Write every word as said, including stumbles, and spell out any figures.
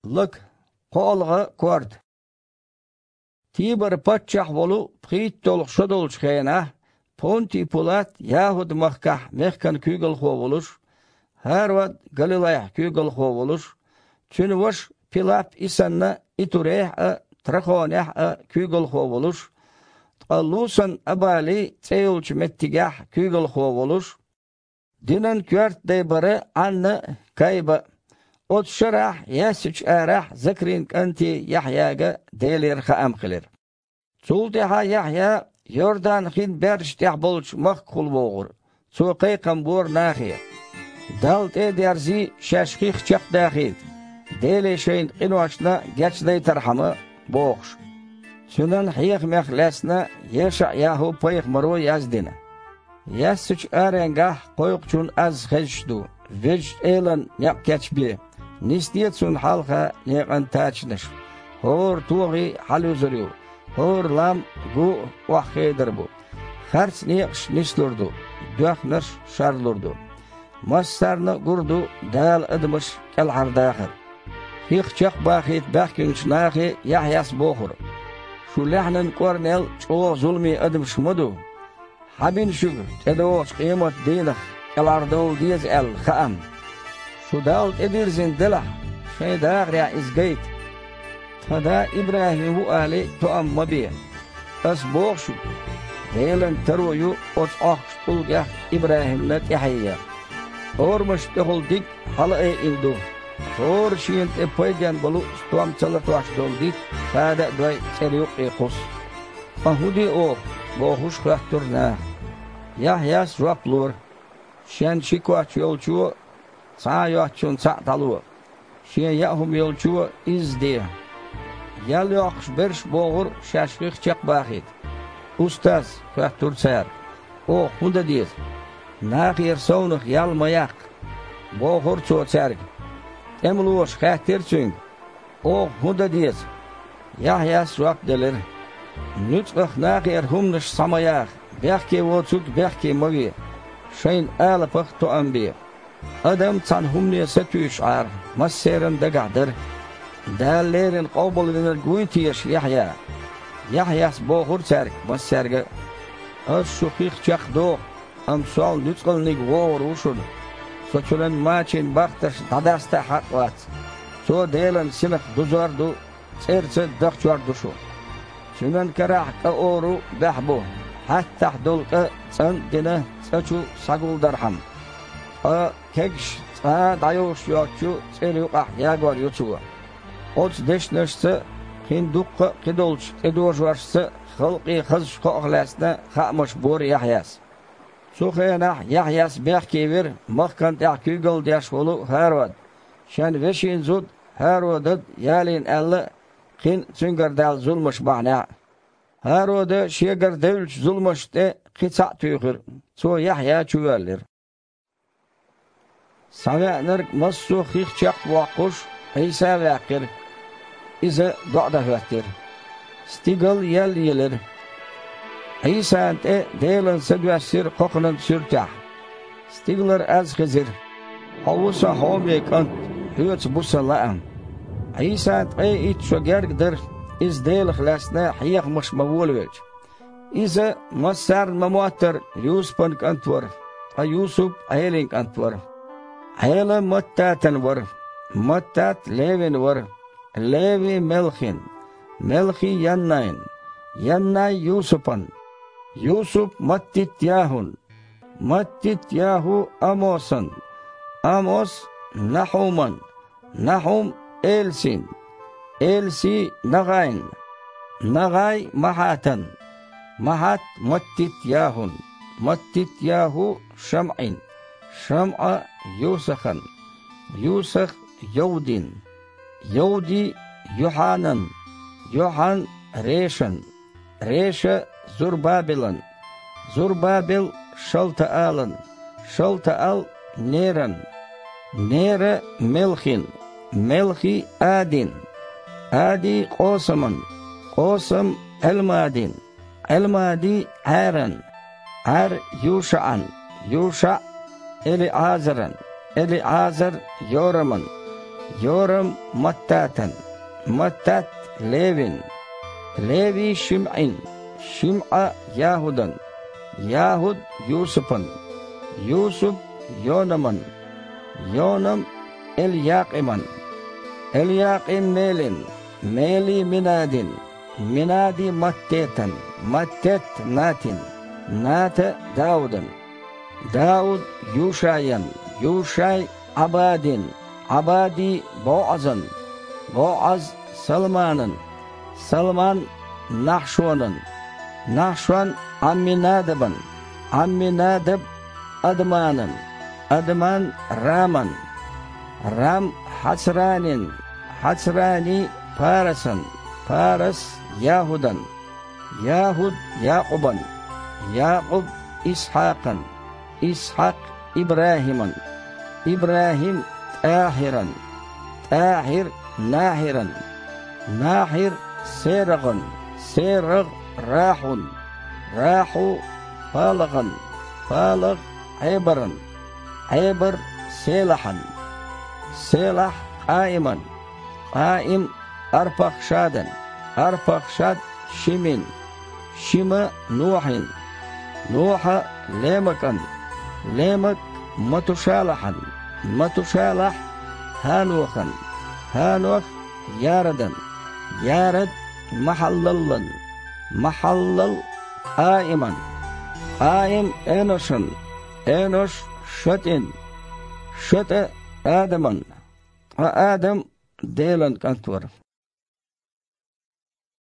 Лака, кхоалгӀа корта. Тибар-паччахь волу пхийтталгӀа шо долчу хенахь, Понтий Пулат ЯхӀуд-махкахь мехкан куьйгалхо волуш, ХӀарод Галилайхь куьйгалхо волуш, цуьнан ваша Пилап и санна Итурехь а, Трахонехь а куьйгалхо волуш, ткъа Лусан-Абали цӀе йолчу меттигехь куьйгалхо волуш, динан коьрта дай бара Ӏанна а, Кайба а. Оцу шарахь Яьссачу арахь Закрин кӀанте Яхьъяга Делера хаам хилира. Цул тӀаьхьа Яхьъя Йордан-хин баьржа тӀехь болчу махкахула вогӀура. Цо кхайкхам бора нахе: «Далла тӀе а дерзий, шаьш хих чекхдахийта, Деле шайна къиношна гечдайтархьама», – бохуш. Цуьнан хьехамех лаьцна ЕшаӀ-ЯхӀу-пайхамаро яздина: «Яьссачу аренгахь кхойкхучун аз хезаш ду, Везачу Элан некъ кечбе, нисде цунна хьалха некъан тачанаш. ХӀора тохий хьалаюзур ю, хӀора лам, гу а охьахедар бу. Харц некъаш нислур ду, доьхнарш шарлур ду. Массарна а гур ду Дала адамаш кӀелхьардахар». Хих чекхбахийта баьхкинчу нахе Яхьъяс бохура: «Шу лаьхьанан кӀорнел чӀогӀа зуламе адамаш ма ду. Хьан бина шуьга тӀедогӀучу къематан дийнах кӀелхьардовла деза аьлла хаам? Шу Далла тӀедирзина делахь, шайн дахарехь иза гайта. Тхан да ИбрахӀим ву алий, тоам ма бе. Ас боху шуьга, Делан таро ю оцу Ӏохкучу тӀулгех ИбрахӀимна тӀаьхье ян. Орамашна тӀехула диг хьалаайина ду. ХӀора шена тӀе пайденна болу стом ца латош долу дитт хада а дой цӀера юккъе кхуссу. Ткъа хӀун де оха?» – бохуш хоьттура наха. Яхьъяс жоп лора: «Шен ши коч йолчо цхьа а йоцучунна цхьаъ дӀало, шен яа хӀума йолчо изза де». Ял йоккхуш берш бохура шаьш хих чекхбахийта. «Устаз, – хоьттура цара, – оха хӀун дан деза?» «Нахера совнаха ял ма яккха», – бохура цо цаьрга. ТӀемалоша хаьттира цуьнга: «Оха хӀун дан деза?» Яхьъяс жоп делира: «Нуьцкъаха нахера хӀуманаш схьа ма яха, бехке воцург бехке ма ве, шайна алапах тоам бе. Адам цхьана хӀумане сатуьйсуш Ӏара, массеран дагахь дара. Дала леррина къобалвинарг вуй теша Яхьъя?» Яхьъяс бохура цаьрга массаьрга а: «Ас шу хих чекхдоху, амма сол нуьцкъалниг вогӀур ву шуна. Со цуьнан мачийн бахташ дӀадаста а хьакъ вац. Цо Делан синах дузор а ду, цӀерца а дахчор а ду шу. Цуьнан карахь кӀа ору баьхьа бу, хьаьттахь долу кӀа цӀан а дина, цӀа чу схьагулдархьама. Ткъа кегаш цкъа а дӀайовш йоцчу цӀера юкъахь ягор ю цо». Оцу дешнашца а, кхин дуккха а кхидолчу тӀедожошца а халкъе хазачу кхоах лаьцна хаамаш бора Яхьъяс. Цу хенахь Яхьъяс бехке вира махкана тӀехь куьйгалла деш волу ХӀарод, шен вешин зуда ХӀародад ялийна аьлла а, кхин а цуьнгара даьлла зуламаш бахьанехь а. ХӀарода шегара девллачу зуламашна тӀе кхин цхьаъ туьйхира, цо Яхьъя чувоьллира. Схьавеанарг массо а хих чекхбоккхуш, Ӏийса ваьккхира. Иза доӀа дан хӀоьттира. Стигал ял елира. Ӏийсана тӀе Делан Са доьссира кхокханан суьртехь. Стигалара аз хезира: «Хьо ву Сан хьоме КӀант, Хьоьца бу Сан лаам». Ӏийсан ткъе итт шо герга дара, Иза Делах лаьцна хьехамаш ма волавелча. Иза, массарна ма-моттара, Юсупан кӀант вара, ткъа Юсуп Ӏелин кӀант вара. Ӏела Маттатан вара, Маттат Левин вара, Леви Мелхин, Мелхи Яннайн, Яннай Юсупан, Юсуп Маттит-ЯхӀун, Маттит-ЯхӀу Амосан, Амос Нахьуман, Нахьум Элсин, Элси Нагайн, Нагай Махьатан, Махьат Маттит-ЯхӀун, Маттит-ЯхӀу ШамӀин, ШамӀа Юсахан, Юсах Йовдин, Йовди Юхьанан, Юхьан Решан, Реша Зурбабелан, Зурбабел Шалтаалан, Шалтаал Неран, Нера Мелхин, Мелхи Адин, Ади Къосаман, Къосам Ӏелмадин, Ӏелмади Ӏаран, Ӏар Юшаан, Юша ЭлиӀазаран, ЭлиӀазар Йораман, Йорам Маттатан, Маттат Левин, Леви ШимӀин, ШимӀа ЯхӀудан, ЯхӀуд Юсупан, Юсуп Йонаман, Йонам Эльякъиман, Эльякъим Мелин, Мели Минадин, Минади Маттетан, Маттет Натин, Ната Даудан, Дауд Юшаян, Юшай Ӏабадин, Ӏабади БоӀазан, БоӀаз Салманан, Салман Нахьшонан, Нахьшон Ӏамминадабан, Ӏамминадаб Адаманан, Адаман Раман, Рам Хьацранин, Хьацрани Парасан, Парас ЯхӀудан, ЯхӀуд Якъубан, Якъуб Исхьакъан, Исхьакъ ИбрахӀиман, ИбрахӀим ТӀахьиран, ТӀахьир Нахьиран, Нахьир СерагӀан, СерагӀ РахьӀун, РахьӀу ПалагӀан, ПалагӀ Ӏебаран, Ӏебар Селахьан, Селахь Къаиман, Къаим Арпахшадан, Арпахшад Шимин, Шима Нохьин, Нохьа ЛемакӀан, ЛемакӀ Матушалахьан, Матушалахь ХӀанохан, ХӀанох Ярадан, Ярад Махьаллаллан, Махьаллал Къаиман, Къаим Эношан, Энош ШатӀин, ШатӀа Адаман, ткъа Адам Делан кӀант вара.